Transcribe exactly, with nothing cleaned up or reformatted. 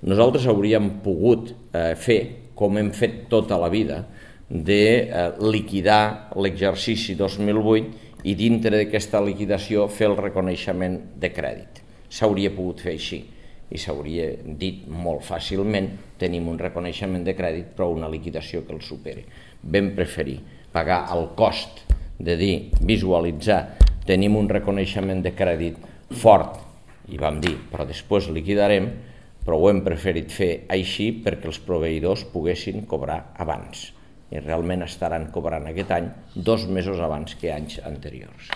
nosaltres hauríem pogut eh, fer, com hem fet tota la vida, de eh, liquidar l'exercici dos mil vuit i dintre d'aquesta liquidació fer el reconeixement de crèdit. S'hauria pogut fer així i s'hauria dit molt fàcilment: tenim un reconeixement de crèdit però una liquidació que el superi. Vam preferir pagar el cost de dir, visualitzar, tenim un reconeixement de crèdit fort, i vam dir, però després liquidarem, però ho hem preferit fer així perquè els proveïdors poguessin cobrar abans. I realment estaran cobrant aquest any dos mesos abans que anys anteriors.